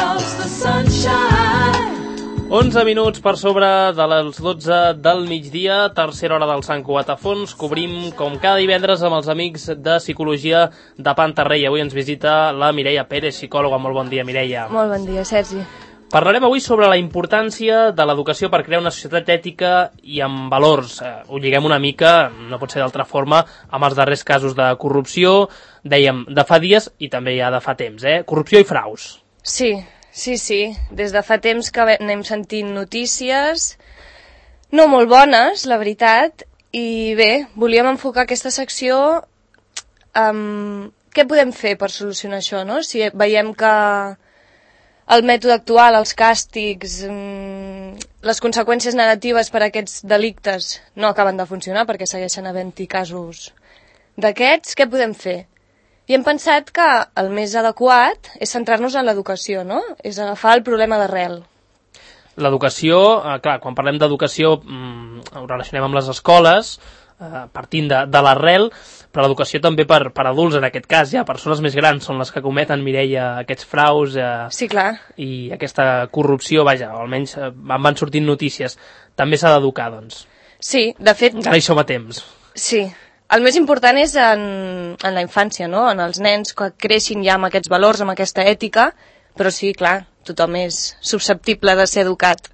loves the sunshine. 11 minuts per sobre de les 12 del migdia, tercera hora del Sant Cugat a Fons. Cobrim, com cada divendres, amb els amics de Psicologia de Pantarrey. Avui ens visita la Mireia Pérez, psicòloga. Molt bon dia, Mireia. Molt bon dia, Sergi. Parlarem avui sobre la importància de l'educació per crear una societat ètica i amb valors. Ho lliguem una mica, no pot ser d'altra forma, amb els darrers casos de corrupció, dèiem, de fa dies i també ja de fa temps, corrupció i fraus. Sí. Des de fa temps que anem sentint notícies no molt bones, la veritat, i bé, volíem enfocar aquesta secció amb què podem fer per solucionar això, no? Si veiem que el mètode actual, els càstigs, les conseqüències negatives per a aquests delictes no acaben de funcionar perquè segueixen havent-hi casos d'aquests, què podem fer? I hem pensat que el més adequat és centrar-nos en l'educació, no? És agafar el problema d'arrel. L'educació, clar, quan parlem d'educació ho relacionem amb les escoles, partint de l'arrel, però l'educació també per adults, en aquest cas, ja persones més grans són les que cometen, Mireia, aquests fraus sí, clar. I aquesta corrupció, vaja, o almenys van sortint notícies. També s'ha d'educar, doncs. Sí, de fet... Encara hi som a temps. Sí. El més important és en la infància, no? En els nens que creixin ja amb aquests valors, amb aquesta ètica, però sí, clar, tothom és susceptible de ser educat.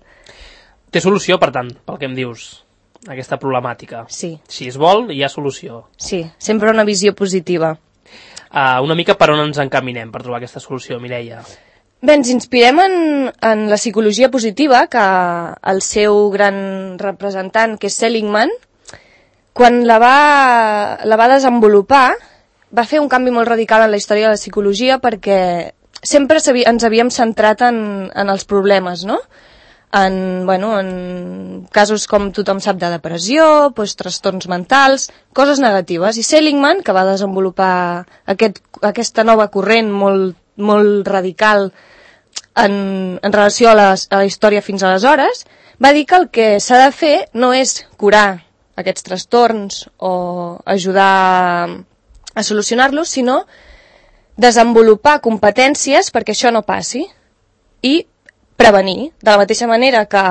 Té solució, per tant, pel que em dius, aquesta problemàtica. Sí. Si es vol, hi ha solució. Sí, sempre una visió positiva. Una mica per on ens encaminem per trobar aquesta solució, Mireia? Bé, ens inspirem en la psicologia positiva, que el seu gran representant, que és Seligman, quan la va desenvolupar, va fer un canvi molt radical en la història de la psicologia perquè sempre ens havíem centrat en els problemes, no? En casos com tothom sap de depressió, doncs, trastorns mentals, coses negatives. I Seligman, que va desenvolupar aquesta nova corrent molt radical en relació a la història fins aleshores, va dir que el que s'ha de fer no és curar aquests trastorns o ajudar a solucionar-los, sinó desenvolupar competències perquè això no passi i prevenir. De la mateixa manera que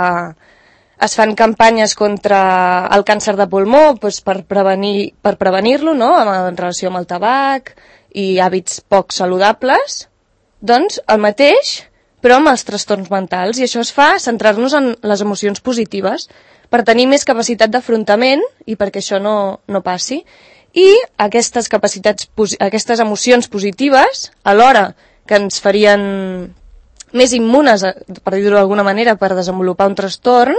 es fan campanyes contra el càncer de pulmó doncs per prevenir-lo, no? En relació amb el tabac i hàbits poc saludables, doncs el mateix, però amb els trastorns mentals. I això es fa centrar-nos en les emocions positives, per tenir més capacitat d'afrontament i perquè això no passi. I aquestes emocions positives, alhora que ens farien més immunes, per dir-ho d'alguna manera, per desenvolupar un trastorn,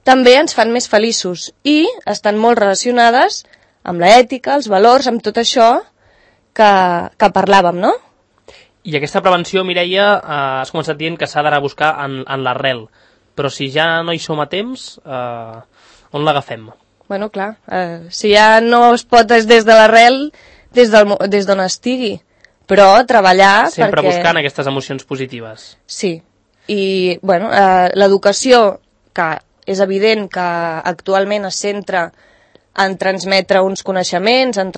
també ens fan més feliços i estan molt relacionades amb l'ètica, els valors, amb tot això que parlàvem, no? I aquesta prevenció, Mireia, has començat dient que s'ha d'anar a buscar en l'arrel. Però si ja no hi som a temps, on l'agafem? Bueno, clar, si ja no es pot des de l'arrel, des d'on estigui, però treballar sempre buscant aquestes emocions positives. Sí, i bueno, l'educació, que és evident que actualment es centra en transmetre uns coneixements, en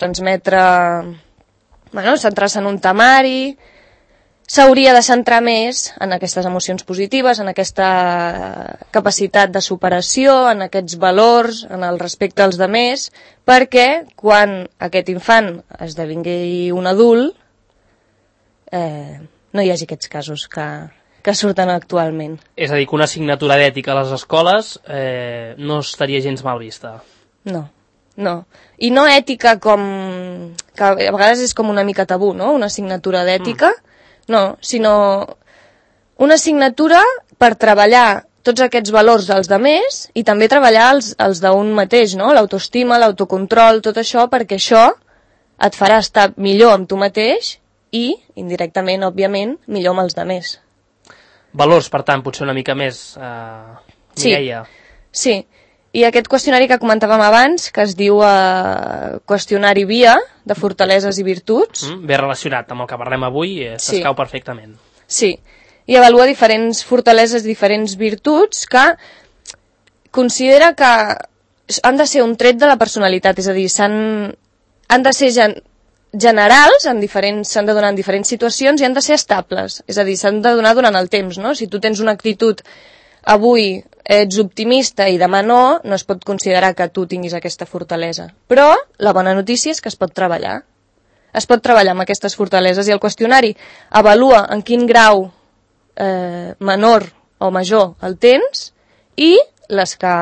centrar-se en un temari, s'hauria de centrar més en aquestes emocions positives, en aquesta capacitat de superació, en aquests valors, en el respecte als demés, perquè quan aquest infant esdevingui un adult no hi hagi aquests casos que surten actualment. És a dir, que una assignatura d'ètica a les escoles no estaria gens mal vista. No. I no ètica com... que a vegades és com una mica tabú, no? Una assignatura d'ètica... No, sinó una assignatura per treballar tots aquests valors dels demés i també treballar els d'un mateix, no? L'autoestima, l'autocontrol, tot això, perquè això et farà estar millor amb tu mateix i, indirectament, òbviament, millor amb els demés. Valors, per tant, potser una mica més, Mireia. Sí. I aquest qüestionari que comentàvem abans, que es diu qüestionari VIA, de fortaleses i virtuts. Ben relacionat amb el que parlem avui, s'escau perfectament. Sí, i avalua diferents fortaleses, diferents virtuts que considera que han de ser un tret de la personalitat, és a dir, han de ser generals, s'han de donar en diferents situacions i han de ser estables, és a dir, s'han de donar durant el temps, no? Si tu tens una actitud avui ets optimista i demà no es pot considerar que tu tinguis aquesta fortalesa. Però la bona notícia és que es pot treballar. Es pot treballar amb aquestes fortaleses i el qüestionari avalua en quin grau menor o major el tens i les que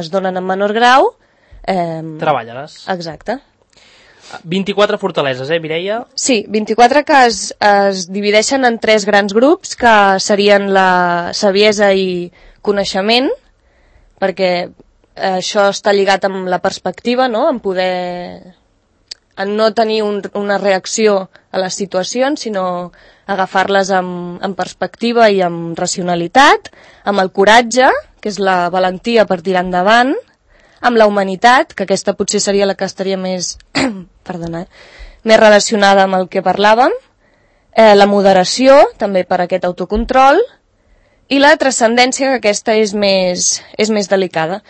es donen en menor grau... Treballa-les. Exacte. 24 fortaleses, Mireia? Sí, 24 que es divideixen en 3 grans grups, que serien la saviesa i coneixement, perquè això està lligat amb la perspectiva, no? En no tenir una reacció a les situacions, sinó agafar-les amb perspectiva i amb racionalitat, amb el coratge, que és la valentia per tirar endavant, amb la humanitat, que aquesta potser seria la que estaria més més relacionada amb el que parlàvem, la moderació, també per aquest autocontrol, i la transcendència, que aquesta és més delicada.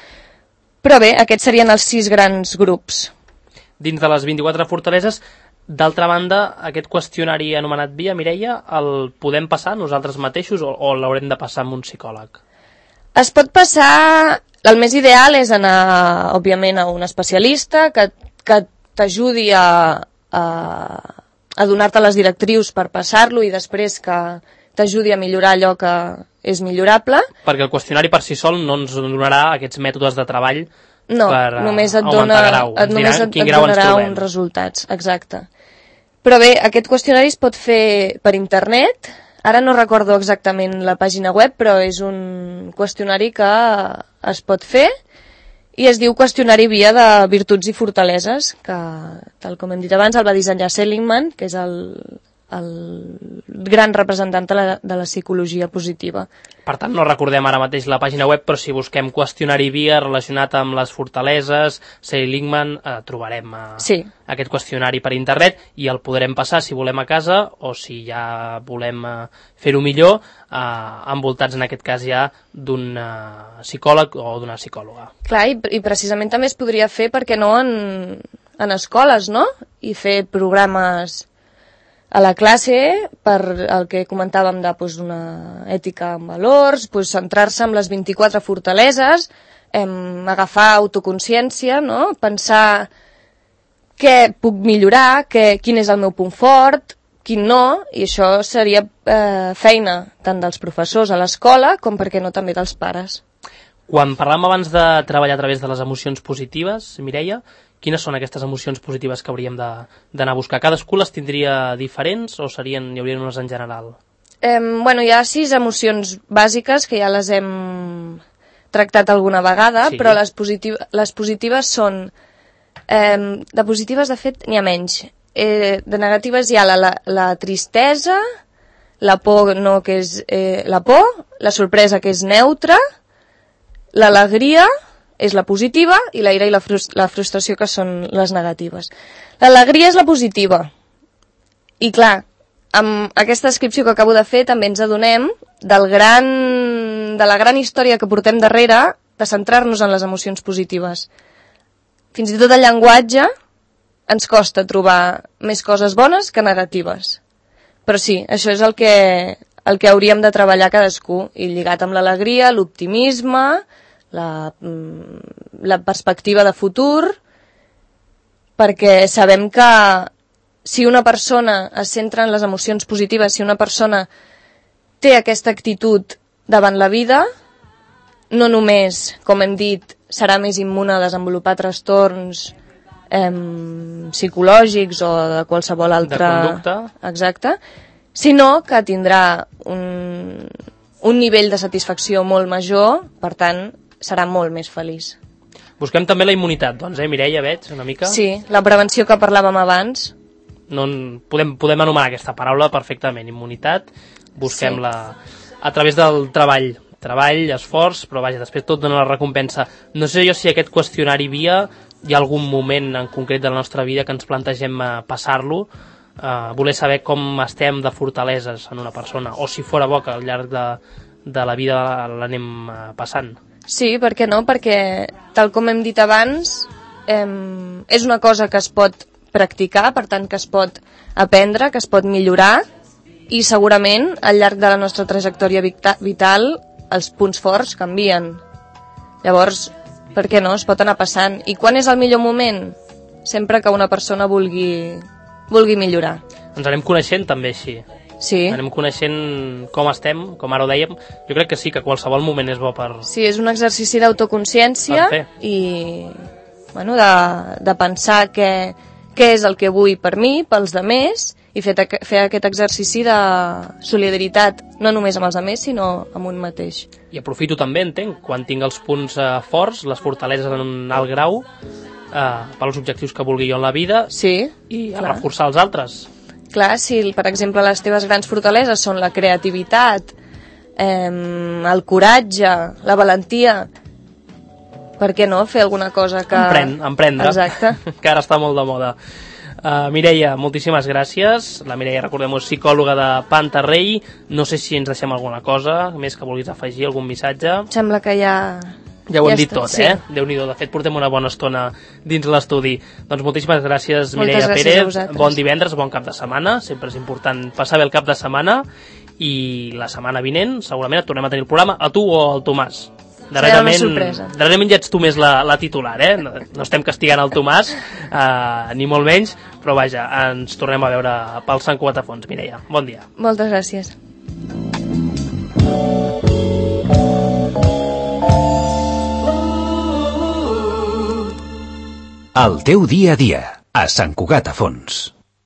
Però bé, aquests serien els 6 grans grups. Dins de les 24 fortaleses, d'altra banda, aquest qüestionari anomenat VIA, Mireia, el podem passar nosaltres mateixos o l'haurem de passar amb un psicòleg? Es pot passar... El més ideal és anar, òbviament, a un especialista que t'ajudi a donar-te les directrius per passar-lo i després que t'ajudi a millorar allò que és millorable. Perquè el qüestionari per si sol no ens donarà aquests mètodes de treball per només augmentar grau. Només et donarà uns resultats, exacte. Però bé, aquest qüestionari es pot fer per internet. Ara no recordo exactament la pàgina web, però és un qüestionari que es pot fer i es diu qüestionari VIA de virtuts i fortaleses, que, tal com hem dit abans, el va dissenyar Seligman, que és el gran representant de la psicologia positiva. Per tant, no recordem ara mateix la pàgina web, però si busquem qüestionari VIA relacionat amb les fortaleses, Seligman, trobarem aquest qüestionari per internet i el podrem passar si volem a casa o si ja volem fer-ho millor, envoltats en aquest cas ja d'un psicòleg o d'una psicòloga. Clar, i precisament també es podria fer, perquè no, en escoles, no? I fer programes a la classe, per el que comentàvem una ètica amb valors, centrar-se en les 24 fortaleses, agafar autoconsciència, no? Pensar què puc millorar, quin és el meu punt fort, quin no, i això seria feina tant dels professors a l'escola com, per què no, també dels pares. Quan parlàvem abans de treballar a través de les emocions positives, Mireia, quines són aquestes emocions positives que hauríem d'anar a buscar? Cadascú les tindria diferents o hi haurien unes en general? Hi ha 6 emocions bàsiques que ja les hem tractat alguna vegada, sí. Però les positives són... de positives, de fet, n'hi ha menys. De negatives hi ha la tristesa, la por, que és la por, la sorpresa, que és neutra, l'alegria és la positiva i la ira i la frustració, que són les negatives. L'alegria és la positiva. I clar, amb aquesta descripció que acabo de fer també ens adonem de la gran història que portem darrere de centrar-nos en les emocions positives. Fins i tot el llenguatge ens costa trobar més coses bones que negatives. Però sí, això és el que hauríem de treballar cadascú, i lligat amb l'alegria, l'optimisme, la perspectiva de futur, perquè sabem que si una persona es centra en les emocions positives, si una persona té aquesta actitud davant la vida, no només, com hem dit, serà més immune a desenvolupar trastorns psicològics o de qualsevol altra... De conducta. Exacte. Sinó que tindrà un nivell de satisfacció molt major, per tant, serà molt més feliç. Busquem també la immunitat, doncs, Mireia, veig, una mica? Sí, la prevenció que parlàvem abans. No, podem anomenar aquesta paraula perfectament, immunitat, busquem-la a través del treball, esforç, però vaja, després tot dona la recompensa. No sé jo si aquest qüestionari VIA hi ha algun moment en concret de la nostra vida que ens plantegem passar-lo, voler saber com estem de fortaleses en una persona, o si fora bo que al llarg de la vida l'anem passant. Sí, per què no? Perquè, tal com hem dit abans, és una cosa que es pot practicar, per tant que es pot aprendre, que es pot millorar, i segurament al llarg de la nostra trajectòria vital els punts forts canvien. Llavors, per què no? Es pot anar passant. I quan és el millor moment? Sempre que una persona vulgui millorar. Ens anem coneixent també així. Sí. Anem coneixent com estem, com ara ho dèiem. Jo crec que sí, que qualsevol moment és bo per... Sí, és un exercici d'autoconsciència i bueno, de pensar què és el que vull per mi, pels demés, i fer aquest exercici de solidaritat, no només amb els demés, sinó amb un mateix. I aprofito també, entenc, quan tinc els punts forts, les fortaleses en un alt grau, pels objectius que vulgui jo en la vida, sí, i a reforçar els altres. Clar, si per exemple les teves grans fortaleses són la creativitat, el coratge, la valentia, per què no fer alguna cosa que... Emprendre. Exacte. Que ara està molt de moda. Mireia, moltíssimes gràcies. La Mireia, recordem-ho, és psicòloga de Pantarrey. No sé si ens deixem alguna cosa més que vulguis afegir, algun missatge. Sembla que ja ho hem dit tot, sí. Déu-n'hi-do, de fet portem una bona estona dins l'estudi. Doncs moltíssimes gràcies, Mireia Pérez. Bon divendres, bon cap de setmana. Sempre és important passar bé el cap de setmana. I la setmana vinent segurament et tornem a tenir el programa, a tu o al Tomàs. Darrerament ja ets tu més la titular, no estem castigant el Tomàs, ni molt menys, però vaja, ens tornem a veure pel Sant Cugat a Fons. Mireia, bon dia. Moltes gràcies. El teu dia a dia, a Sant Cugat a Fons.